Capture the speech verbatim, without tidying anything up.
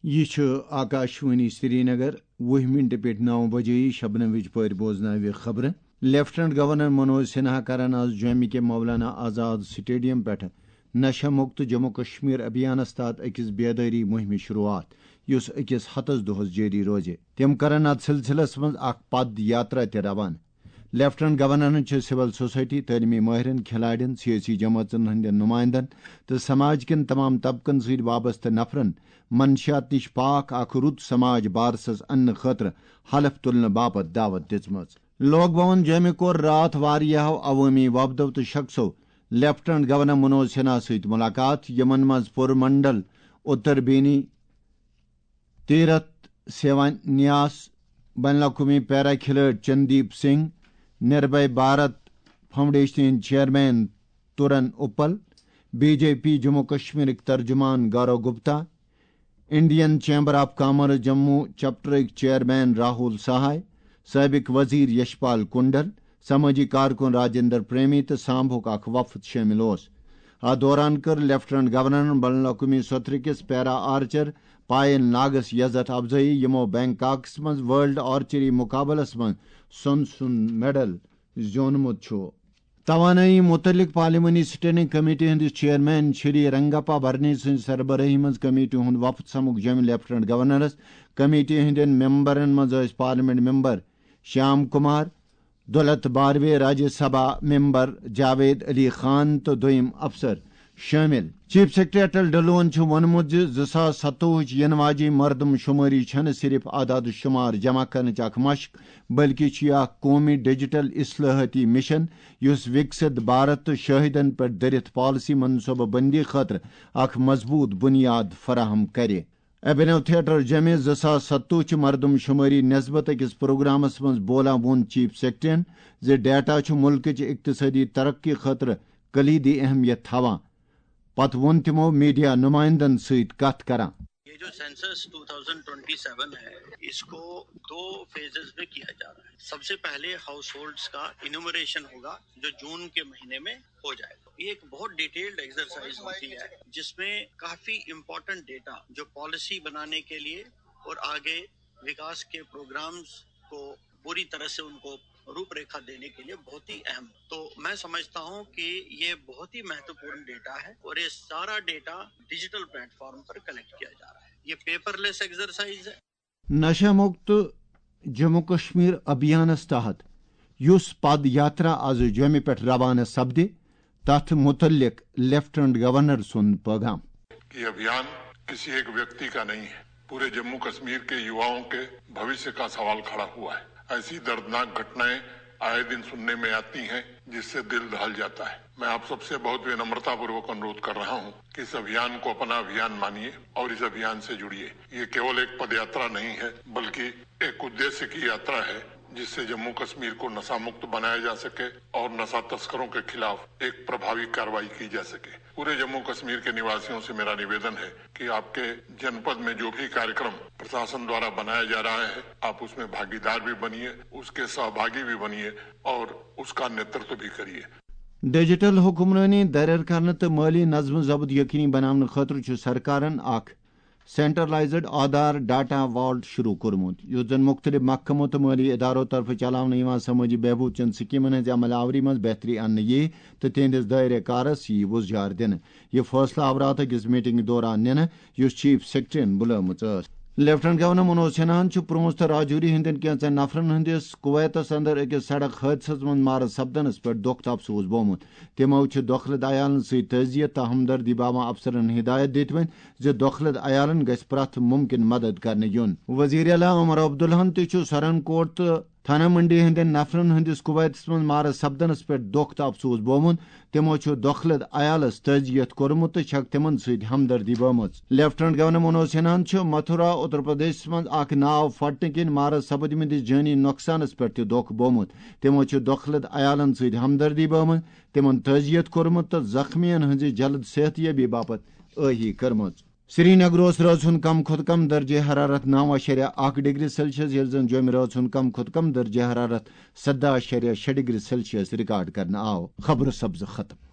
یہِ چھُ آکاشوانی سرینگر۔ وُہ مِنٹہِ پٮ۪ٹھ نَو بجے شبنمٕچ پٲٹھۍ بوزناوِ خبرٕ۔ لیفٹننٹ گورنر منوج سنہا کرن آز جوٚمہِ کہِ مولانا آزاد سٹیڈیم پٮ۪ٹھٕ نشہ مکت جموں کشمیر ابھیانس تحت أکِس بیدٲری مُہِمہِ شروعات، یُس أکِس ہتس دۄہس جٲری روزِ۔ تِم کرن اتھ سلسلس منٛز اکھ پد یاترا تہِ روانہٕ۔ لیفٹننٹ گورنرن چھِ سول سوسائٹی، تعلیمی ماہرن، کھلاڑین، سیٲسی جمٲژن ہٕنٛدٮ۪ن نمائندن تہٕ سماج کٮ۪ن تمام طبقن سۭتۍ وابستہٕ نفرن منشیات نِش پاک اکھ رُت سماج بارسس اننہٕ خٲطرٕ حلف تُلنہٕ باپتھ دعوت دِژمٕژ۔ لوک بھون جوٚمہِ کوٚر راتھ واریاہو عوٲمی وفدو تہٕ شخصو لیفٹننٹ گورنر منوج سنہا سۭتۍ ملاقات، یِمن منٛز پُر منڈل، اتر بینی، تیرتھ سیوانیاس، بین الاقوٲمی پیرا کھلٲڑۍ چندیپ سنگھ، نربھے بھارت فاؤنڈیشن ہٕنٛدۍ chairman Toran Uppal, B J P Jammu کشمیرٕکۍ ترجمان Gaurav Gupta, Indian chamber of commerce Jammu چیپٹرٕکۍ چیئرمین راہول سہائے، سابق وزیر یشپال کنڈل، سمٲجی کارکُن راجندر پریمی تہٕ سامبُک اکھ وفد شٲمِل اوس۔ اتھ دوران کٔر لیفٹننٹ گورنرن بین الاقوٲمی سطرٕ کِس پیرا آرچر پاین ناگس عزت افزٲیی، یِمو بینکاکس منٛز ورلڈ آرچری مقابلس منٛز سۄن سُنٛد میڈل زیوٗنمُت چھُ۔ توانٲیی مُتعلق پارلیمانی سٹینڈنگ کمیٹی ہٕنٛدِس چیئرمین شری رنگپا برنی سٕنٛزِ سربرٲہی منٛز کمیٹی ہُنٛد وفد سمکھ جوٚمہِ لیفٹننٹ گورنرس۔ کمیٹی ہٕنٛدٮ۪ن ممبرن منٛز ٲسۍ پارلیمنٹ ممبر شیام کمار، دولت باروے، راجیہ سبھا ممبر جاوید علی خان تہٕ دوٚیِم افسر شٲمِل۔ چیف سیکرٹری اٹل ڈلون چھُ ووٚنمُت زِ زٕ ساس ستووُہٕچ یِنہٕ واجیٚنۍ مردم شمٲری چھَنہٕ صرف اعداد و شمار جمع کرنٕچ اکھ مشق، بلکہِ چھُ یہِ اکھ قومی ڈیجیٹل اصلاحاتی مشن، یُس وکست بھارت تہٕ شاہدن پٮ۪ٹھ دٔرِتھ پالیسی منصوبہٕ بندی خٲطرٕ اکھ مضبوط بنیاد فراہم کرِ۔ ابھینو تھیٹر جوٚمہِ زٕ ساس ستووُہ چہِ مردم شمٲری نسبت أکِس پروگرامس منٛز بولان ووٚن چیف سیکرٹریَن زِ ڈیٹا چھُ ملکٕچ اقتصٲدی ترقی خٲطرٕ کلیدی اہمیت تھاوان۔ پتہٕ ووٚن تِمو میڈیا نمائندن سۭتۍ کتھ کران۔ یہ جو census two thousand twenty seven ہے، اس کو دو فیزز میں کیا جا رہا ہے۔ سب سے پہلے ہاؤس ہولڈز کا انومریشن ہوگا، جو جون کے مہینے میں ہو جائے گا۔ یہ ایک بہت ڈیٹیلڈ ایکسرسائز ہوتی ہے، جس میں کافی امپورٹنٹ ڈیٹا جو پالیسی بنانے کے لیے اور آگے وکاس کے پروگرامز کو پوری طرح سے ان کو روپ ریکھا دینے کے لیے بہت ہی اہم۔ تو میں سمجھتا ہوں کہ یہ بہت ہی مہتوپورن ڈیٹا ہے اور یہ سارا ڈیٹا ڈیجیٹل پلیٹ فارم پر کلیکٹ کیا جا رہا ہے۔ یہ پیپر لیس ایکسرسائز ہے۔ نشہ مکت جموں کشمیر ابھیانس تحت یُس پد یاترا از جوٚمہِ پٮ۪ٹھ روانہٕ سپدِ، تتھ متعلق لیفٹننٹ گورنر سُنٛد پیغام۔ یہ ابھیان کسی ایک ویکتی کا نہیں ہے، پورے جموں کشمیر کے یواؤں کے بھوشیہ کا سوال کھڑا ہوا ہے۔ ایسی دردناک گھٹنائیں آئے دن سننے میں آتی ہیں، جس سے دل دہل جاتا ہے۔ میں آپ سب سے بہت ونمرتا پوروک انورودھ کر رہا ہوں کہ اس ابھیان کو اپنا ابھیان مانیے اور اس ابھیان سے جڑیے۔ یہ کیول ایک پد یاترا نہیں ہے، بلکہ ایک ادیشیہ کی یاترا ہے، جس سے جموں کشمیر کو نشہ مکت بنایا جا سکے اور نشہ تسکروں کے خلاف ایک پربھاوی کارروائی کی جا سکے۔ پورے جموں کشمیر کے نواسیوں سے میرا نویدن ہے کہ آپ کے جنپد میں جو بھی کارکرم پرشاسن دوارا بنایا جا رہا ہے، آپ اس میں بھاگیدار بھی بنیے، اس کے سہبھاگی بھی بنیے اور اس کا نیترتو بھی کریے۔ ڈیجیٹل حکمرٲنی دٲیرٕ کرنہٕ تہٕ مٲلی نظم و ضبط یقینی بناونہٕ خٲطرٕ چھُ سرکارن اکھ سینٹرلائزڈ آدھار ڈیٹا والٹ شروع کوٚرمُت، یُس زن مُختٔلِف محکمو تہٕ مٲلی ادارو طرفہٕ چلاونہٕ یِوان سمٲجی بہبود چٮ۪ن سکیمن ہٕنٛزِ عمل آوری منٛز بہتری اننہٕ یِیہِ تہٕ تِہنٛدِس دٲیرٕ کارس یِیہِ وُژھ جار دِنہٕ۔ یہِ فٲصلہٕ آو راتھ أکِس میٹنگہِ دوران نِنہٕ، یُس چیف سیکرٹریَن بُلٲومٕژ ٲس۔ لیفٹننٹ گورنر منوج سنہاہن چھُ پرونز تہٕ راجوری ہٕنٛدٮ۪ن کینٛژن نفرن ہٕنٛدِس کویتس اندر أکِس سڑک حٲدثس منٛز مارٕ سپدنس پٮ۪ٹھ دۄکھ تہٕ افسوس بوومُت۔ تِمو چھِ دۄکھلہٕ عیالن سۭتۍ تعزیت تہٕ ہمدردی باوان افسرن ہدایت دِتمٕتۍ زِ دۄکھلہٕ عیالن گژھِ پرٛٮ۪تھ مُمکِن مدد کرنہٕ یُن۔ وزیر اعلیٰ عمر عبداللہن تہِ چھُ سرن کوٹ تہٕ تھانہ منڈی ہٕنٛدٮ۪ن نفرن ہٕنٛدِس کویتس منٛز مارٕ سپدنس پٮ۪ٹھ دۄکھ تہٕ افسوس بوومُت۔ تِمو چھُ دۄکھلہٕ عیالس تعزیت کوٚرمُت تہٕ چھکھ تِمن سۭتۍ ہمدردی بٲومٕژ۔ لیفٹننٹ گورنر منوج سنہاہن چھُ متھورا، اتر پردیشس منٛز اکھ ناو پھٹنہٕ کِنۍ مارٕ سپدمٕتِس جٲنی نۄقصانس پٮ۪ٹھ تہِ دۄکھ بوومُت۔ تِمو چھُ دۄکھلہٕ عیالن سۭتۍ ہمدردی بٲومٕژ، تِمن تعزیت کوٚرمُت تہٕ زخمیَن ہٕنٛزِ جلد صحت یابی باپتھ ٲہی کٔرمٕژ۔ سرینگر اوس رٲژ ہُنٛد کم کھۄتہٕ کم درجہ حرارت نو اعشاریہ اکھ ڈگری سیلسیس، ییٚلہِ زن جوٚمہِ رٲژ ہُنٛد کم کھۄتہٕ کم درجہ حرارت سدہ اعشاریہ شےٚ ڈگری سیلسیس ریکارڈ کرنہٕ آو۔ خبرٕ سپزٕ ختم۔